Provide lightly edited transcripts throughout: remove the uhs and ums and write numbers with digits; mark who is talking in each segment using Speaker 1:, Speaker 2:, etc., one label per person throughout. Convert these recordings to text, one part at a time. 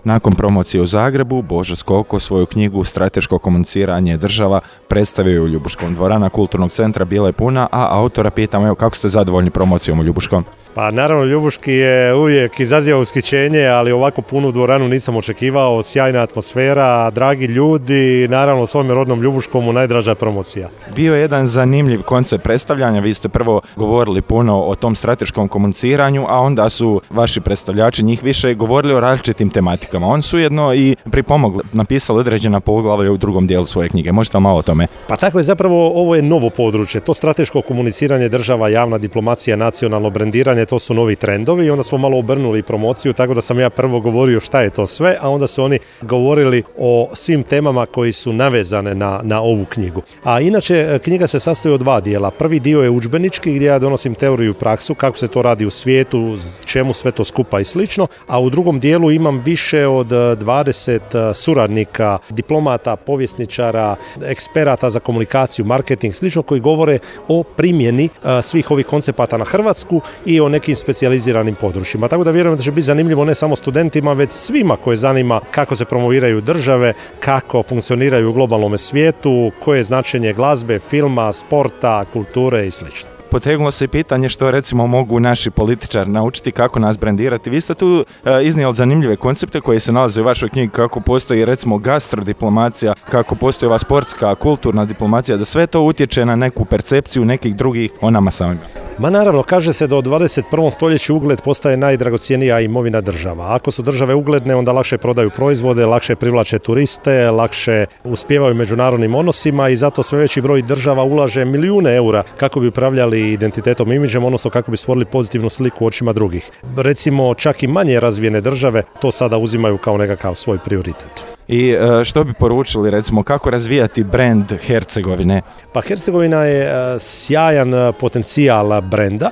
Speaker 1: Nakon promocije u Zagrebu, Božo Skoko svoju knjigu Strateško komuniciranje država predstavio je u Ljubuškom. Dvorana Kulturnog centra bila je puna, a autora pitamo, evo, kako ste zadovoljni promocijom u Ljubuškom?
Speaker 2: Pa naravno, Ljubuški je uvijek izaziva ushićenje, ali ovako punu dvoranu nisam očekivao, sjajna atmosfera, dragi ljudi, naravno svome rodnom Ljubuškomu najdraža promocija.
Speaker 1: Bio je jedan zanimljiv koncept predstavljanja, vi ste prvo govorili puno o tom strateškom komuniciranju, a onda su vaši predstavljači, njih više, govorili o različitim tematikama. Oni su jedno i pripomogli, napisali određena poglavlja u drugom dijelu svoje knjige. Možete li malo o tome?
Speaker 2: Pa tako je, zapravo ovo je novo područje, to strateško komuniciranje država, javna diplomacija, nacionalno brendiranje, to su novi trendovi i onda smo malo obrnuli promociju, tako da sam ja prvo govorio šta je to sve, a onda su oni govorili o svim temama koji su navezane na ovu knjigu. A inače, knjiga se sastoji od dva dijela. Prvi dio je udžbenički gdje ja donosim teoriju i praksu, kako se to radi u svijetu, čemu sve to skupa i slično, a u drugom dijelu imam više od 20 suradnika, diplomata, povjesničara, eksperata za komunikaciju, marketing, slično, koji govore o primjeni svih ovih koncepata na Hrvatsku i o nekim specijaliziranim područjima. Tako da vjerujem da će biti zanimljivo ne samo studentima, već svima koje zanima kako se promoviraju države, kako funkcioniraju u globalnom svijetu, koje je značenje glazbe, filma, sporta, kulture i slično.
Speaker 1: Potegnulo se i pitanje što recimo mogu naši političari naučiti kako nas brendirati. Vi ste tu iznijeli zanimljive koncepte koji se nalaze u vašoj knjigi, kako postoji recimo gastrodiplomacija, kako postoji ova sportska, kulturna diplomacija, da sve to utječe na neku percepciju nekih drugih o nama samima.
Speaker 2: Ma naravno, kaže se da u 21. stoljeću ugled postaje najdragocjenija imovina država. Ako su države ugledne, onda lakše prodaju proizvode, lakše privlače turiste, lakše uspijevaju u međunarodnim odnosima i zato sve veći broj država ulaže milijune eura kako bi upravljali identitetom i imidžem, odnosno kako bi stvorili pozitivnu sliku u očima drugih. Recimo, čak i manje razvijene države to sada uzimaju kao nekakav svoj prioritet.
Speaker 1: I što bi poručili, recimo, kako razvijati brend Hercegovine?
Speaker 2: Pa Hercegovina je sjajan potencijal brenda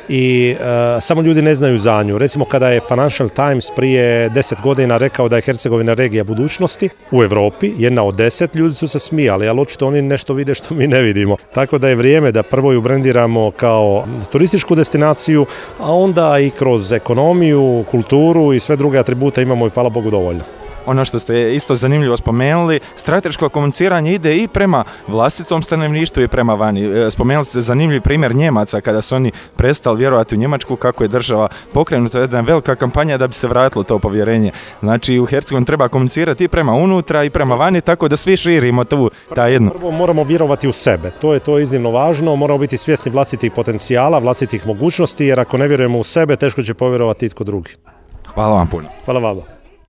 Speaker 2: i samo ljudi ne znaju za nju. Recimo, kada je Financial Times prije 10 godina rekao da je Hercegovina regija budućnosti u Europi, jedna od 10, ljudi su se smijali, ali očito oni nešto vide što mi ne vidimo. Tako da je vrijeme da prvo ju brendiramo kao turističku destinaciju, a onda i kroz ekonomiju, kulturu i sve druge atribute imamo i hvala Bogu dovoljno.
Speaker 1: Ono što ste isto zanimljivo spomenuli, strateško komuniciranje ide i prema vlastitom stanovništvu i prema vani. Spomenuli ste zanimljiv primjer Njemaca kada su oni prestali vjerovati u Njemačku, kako je država pokrenuta jedna velika kampanja da bi se vratilo to povjerenje. Znači u Hercegovini treba komunicirati i prema unutra i prema vani, tako da svi širimo ta jedno.
Speaker 2: Prvo moramo vjerovati u sebe, to je iznimno važno, moramo biti svjesni vlastitih potencijala, vlastitih mogućnosti, jer ako ne vjerujemo u sebe, teško će povjerovati itko drugi.
Speaker 1: Hvala vam puno.
Speaker 2: Hvala vama.